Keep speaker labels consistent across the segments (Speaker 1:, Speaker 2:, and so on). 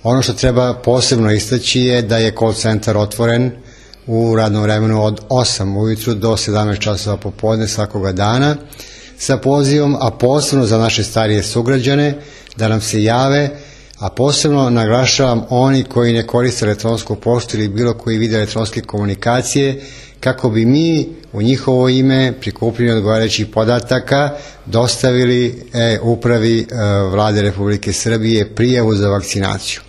Speaker 1: Ono što treba posebno istaći je da je call centar otvoren u radnom vremenu od 8 ujutru do 17 časova popodne svakoga dana sa pozivom, a posebno za naše starije sugrađane da nam se jave, a posebno naglašavam oni koji ne koriste elektronsku poštu ili bilo koji vid elektronske komunikacije, kako bi mi u njihovo ime prikupljeni odgovarajućih podataka dostavili upravi Vlade Republike Srbije prijavu za vakcinaciju.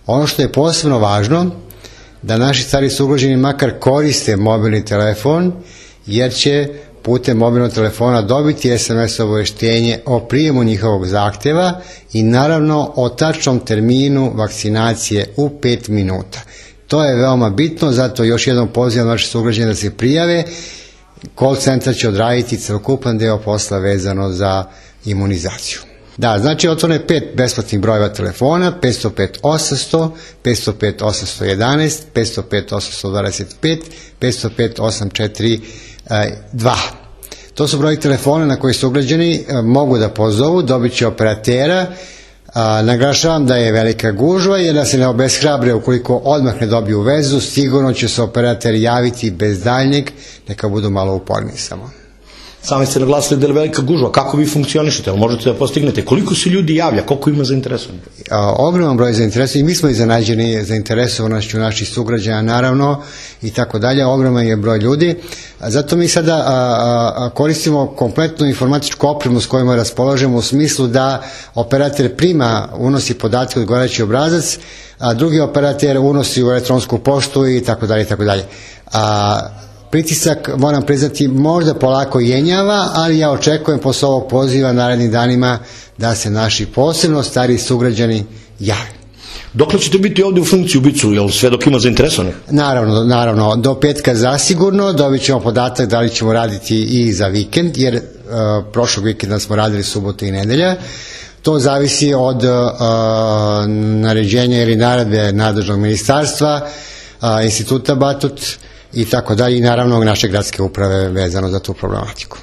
Speaker 1: Ono što je posebno važno, da naši stari sugrađani makar koriste mobilni telefon, jer će putem mobilnog telefona dobiti SMS obaveštenje o prijemu njihovog zahtjeva i naravno o tačnom terminu vakcinacije u 5 minuta. To je veoma bitno, zato još jednom pozivam naše sugrađane da se prijave. Call centar će odraditi celokupan deo posla vezano za imunizaciju. Da, znači otvoreno je 5 besplatnih brojeva telefona, 505 800, 505 811, 505 825, 505 842. To su broji telefona na koji sugrađani mogu da pozovu, dobit će operatera. Naglašavam da je velika gužva, jer da se ne obeshrabre ukoliko odmah ne dobiju vezu, sigurno će se operater javiti bez daljnjeg, neka budu malo uporni samo.
Speaker 2: Sami ste naglasili da je velika gužva, kako vi funkcionišete, ali možete da postignete, koliko se ljudi javlja, koliko ima zainteresovanih?
Speaker 1: Ogroman broj zainteresovanih, mi smo iznenađeni zainteresovanošću naših sugrađana naravno i tako dalje, ogroman je broj ljudi, zato mi sada koristimo kompletnu informatičku opremu s kojima raspolažemo u smislu da operator prima, unosi podatke u odgovarajući obrazac, a drugi operator unosi u elektronsku poštu i tako dalje i tako dalje. Pritisak, moram priznati, možda polako jenjava, ali ja očekujem posle ovog poziva narednim danima da se naši posebno stariji sugrađani jave.
Speaker 2: Dokle ćete biti ovdje u funkciji u Bicu, jel sve dok ima zainteresovanih?
Speaker 1: Naravno, do petka zasigurno, dobit ćemo podatak da li ćemo raditi i za vikend, jer prošlog vikenda smo radili subotu i nedelja. To zavisi od naređenja ili naredbe nadležnog ministarstva, instituta Batut, i tako dalje, i naravno naše gradske uprave vezano za tu problematiku.